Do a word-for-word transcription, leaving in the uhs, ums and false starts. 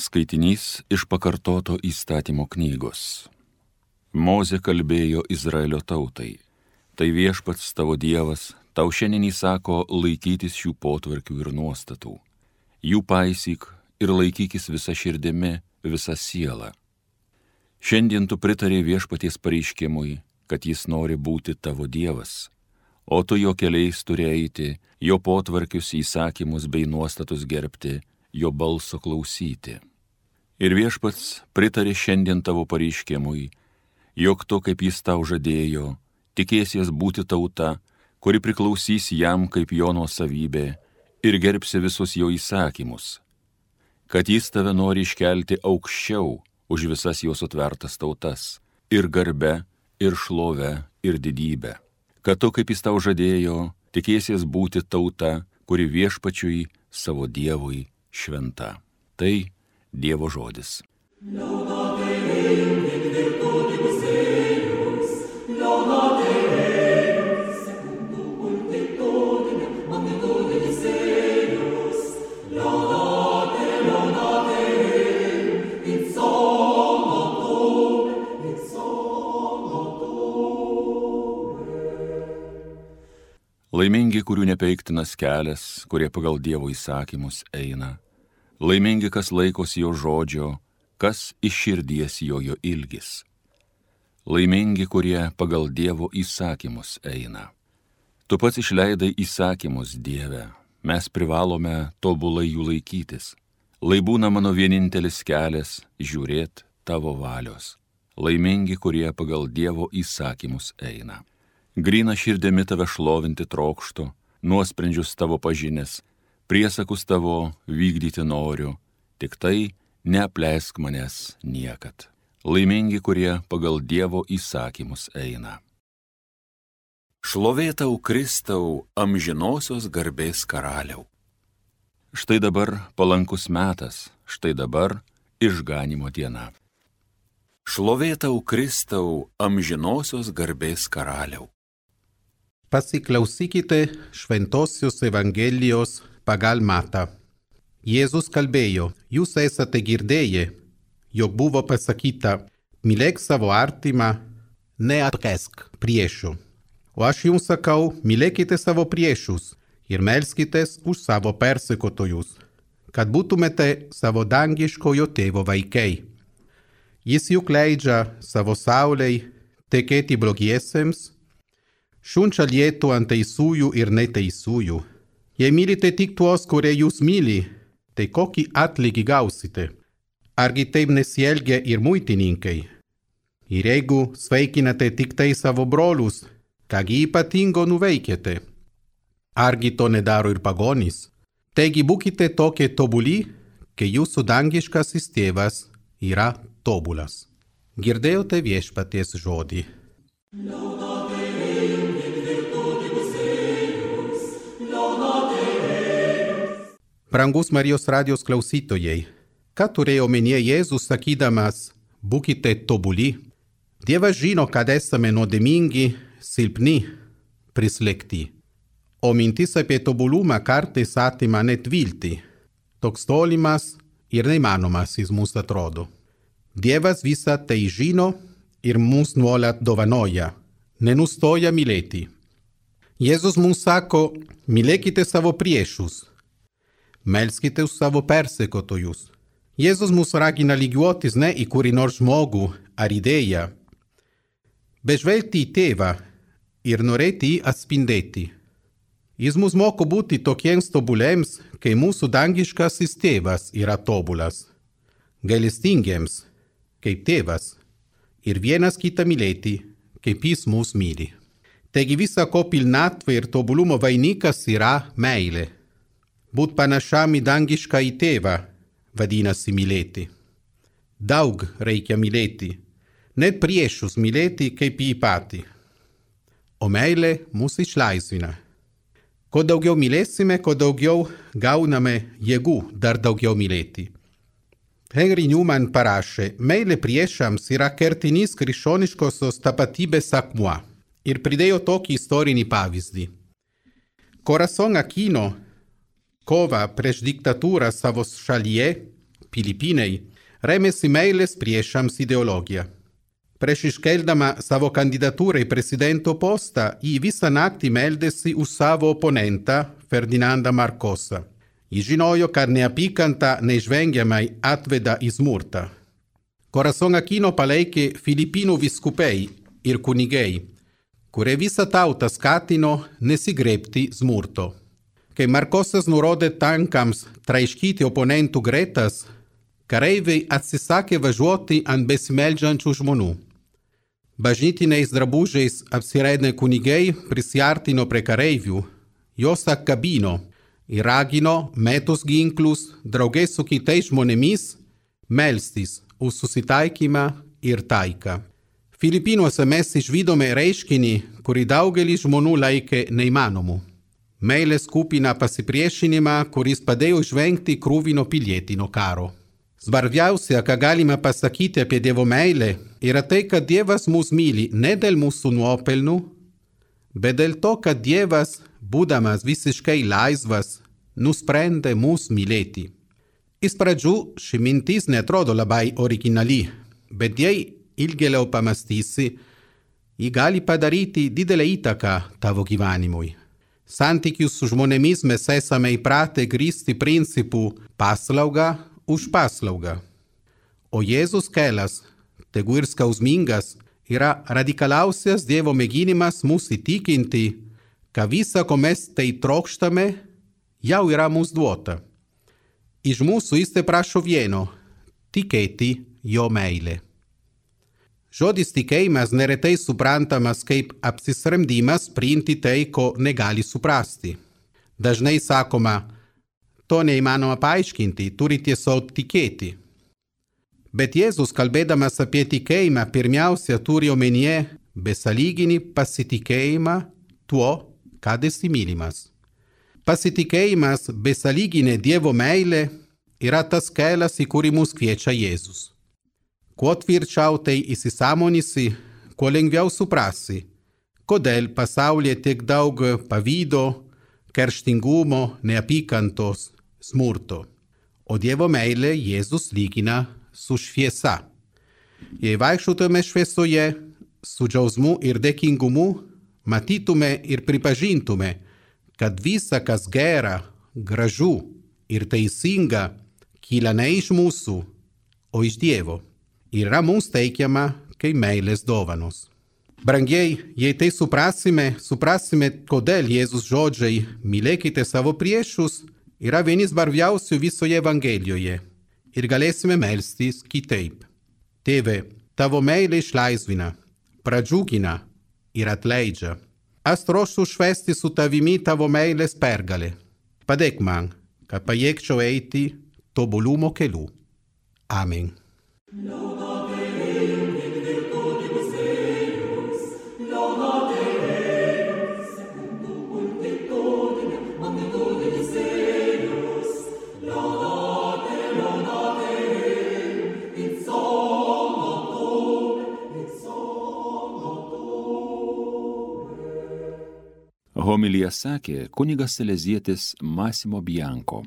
Skaitinys iš pakartoto įstatymo knygos. Mozė kalbėjo Izraelio tautai. Tai viešpats tavo Dievas, tau šiandien įsako laikytis šių potvarkių ir nuostatų. Jų paisyk ir laikykis visa širdimi, visa siela. Šiandien tu pritarė viešpaties pareiškimui, kad jis nori būti tavo Dievas, o tu jo keliais turi eiti, jo potvarkius, įsakymus bei nuostatus gerbti, jo balso klausyti. Ir viešpats pritarė šiandien tavo pareiškimui, jog tu, kaip jis tau žadėjo, tikėsies būti tauta, kuri priklausys jam kaip jo nuosavybė ir gerbsi visus jo įsakymus, kad jis tave nori iškelti aukščiau už visas jo sutvertas tautas, ir garbe, ir šlove, ir didybę, kad tu, kaip jis tau žadėjo, tikėsies būti tauta, kuri viešpačiui savo Dievui šventa. Tai Dievo žodis. Laimingi, kurių nepeiktinas kelias, kurie pagal Dievo įsakymus eina. Laimingi, kas laikosi jo žodžio, kas iš širdies jo jo ilgis. Laimingi, kurie pagal Dievo įsakymus eina. Tu pats išleidai įsakymus, Dieve, mes privalome tobulai jų laikytis. Lai būna mano vienintelis kelias žiūrėt tavo valios. Laimingi, kurie pagal Dievo įsakymus eina. Gryna širdimi tave šlovinti trokštu, nuosprendžius tavo pažinęs, priesakus tavo vykdyti noriu, tik tai neapleisk manęs niekad. Laimingi, kurie pagal Dievo įsakymus eina. Šlovė tau, Kristau, amžinosios garbės karaliau. Štai dabar palankus metas, štai dabar išganymo diena. Šlovė tau, Kristau, amžinosios garbės karaliau. Pasiklausykite Šventosios Evangelijos pagal Matą. Jėzus kalbėjo, jūs esate girdėję, jog buvo pasakyta, mylėk savo artimą, neatkesk priešų. O aš jums sakau, mylėkite savo priešus ir melskitės už savo persekiotojus, kad būtumėte savo dangiškojo tėvo vaikai. Jis juk leidžia savo saulei tekėti blogiesiems, šunčia lietų ant teisiųjų ir neteisiųjų. Jei mylite tik tuos, kurie jūs myli, tai kokį atlygį gausite? Argi taip nesielgia ir muitininkai? Ir jeigu sveikinate tik tai savo brolius, kągi ypatingo nuveikėte? Argi to nedaro ir pagonys? Taigi būkite tokie tobuli, kai jūsų dangiškasis tėvas yra tobulas. Girdėjote viešpaties žodį. Brangus Marijos radijos klausytojai, ką turėjo omenyje Jėzus sakydamas, būkite tobuli? Dievas žino, kad esame nuodėmingi, silpni, prislėgti. O mintis apie tobulumą kartais atima net viltį. Toks tolimas ir neįmanomas jis mums atrodo. Dievas visą tai žino ir mums nuolat dovanoja, nenustoja mylėti. Jėzus mums sako, mylėkite savo priešus. Melskite už savo persekiotojus. Jėzus mus ragina lygiuotis ne į kurį nors žmogų ar idėją, bet žvelgti į tėvą ir norėti jį atspindėti. Jis mus moko būti tokiems tobuliems, kai mūsų dangiškasis tėvas yra tobulas, gailestingiems, kaip tėvas, ir vienas kitą mylėti, kaip jis mus myli. Taigi visa ko pilnatvė ir tobulumo vainikas yra meilė. Būt panašiam į dangišką į tėvą, vadinasi mylėti. Daug reikia mylėti, net priešus mylėti kaip jį patį. O meilė mus išlaisvina. Kuo daugiau mylėsime, kuo daugiau gauname jėgų dar daugiau mylėti. Henry Newman parašė, meilė priešams yra kertinis krikščioniškosios tapatybės akmuo. Ir pridėjo tokį istorinį pavyzdį. Corazon Aquino kovą prieš diktatūrą savo šalyje Filipinei, rėmėsi meilės priešams ideologiją. Prieš iškeldama savo kandidatūrą į prezidento postą, ji visą naktį meldėsi už savo oponentą Ferdinandą Marcosą. Ji žinojo, kad neapykanta neišvengiamai atveda į smurtą. Corazon Aquino palaikė Filipinų vyskupai ir kunigai, kurie visą tautą skatino nesigrebti smurto. Kai Marcosas nurodė tankams traiškyti oponentų gretas, kareiviai atsisakė važiuoti ant besimeldžiančių žmonių. Bažnytiniais drabužiais apsirengę kunigai prisiartino prie kareivių, juos apkabino ir ragino metus ginklus drauge su kitais žmonėmis melstis už susitaikymą ir taiką. Filipinuose mes išvydome reiškinį, kurį daugelis žmonių laikė neįmanomu. Meilės kupiną pasipriešinimą, kuris padėjo išvengti kruvino pilietinio karo. Svarbiausia, ką galime pasakyti apie Dievo meilę, yra tai, kad Dievas mus myli ne dėl mūsų nuopelnų, bet dėl to, kad Dievas, būdamas visiškai laisvas, nusprendė mus mylėti. Iš pradžių ši mintis netrodo labai originali, bet jei ilgėliau pamastysi, ji gali padaryti didelę įtaką tavo gyvenimui. Santykius su žmonėmis mes esame įpratę grįsti principų paslauga už paslaugą. O Jėzus kelias, tegu ir skausmingas, yra radikaliausias Dievo mėginimas mus įtikinti, kad visa, ko mes tai trokštame, jau yra mums duota. Iš mūsų jis te prašo vieno – tikėti jo meilę. Žodis tikėjimas neretai suprantamas kaip apsisprendimas priimti tai, ko negali suprasti. Dažnai sakoma, to neįmanoma paaiškinti, turi tiesiog tikėti. Bet Jėzus, kalbėdamas apie tikėjimą, pirmiausia turi omenyje besąlyginį pasitikėjimą tuo, kad esi mylimas. Pasitikėjimas besąlyginė Dievo meilė yra tas kelias, į kurį mus kviečia Jėzus. Kuo tvirčiau tai įsisąmonysi, kuo lengviau suprasi, kodėl pasaulyje tiek daug pavydo, kerštingumo, neapykantos, smurto. O Dievo meilė Jėzus lygina su šviesa. Jei vaikščiotume šviesoje, su džiaugsmu ir dėkingumu, matytume ir pripažintume, kad visa, kas gera, gražu ir teisinga, kyla ne iš mūsų, o iš Dievo. Yra mums teikiama kaip meilės dovanos. Brangiai, jei tai suprasime, suprasime, kodėl Jėzus žodžiai mylėkite savo priešus yra vieni svarbiausių visoje Evangelijoje ir galėsime melstis kitaip. Tėve, tavo meilė išlaisvina, pradžiugina ir atleidžia. Aš troškiu švęsti su tavimi tavo meilės pergalę. Padėk man, kad pajėgčiau eiti tobulumo keliu. Amen. Homiliją sakė kunigas salezietis Massimo Bianco.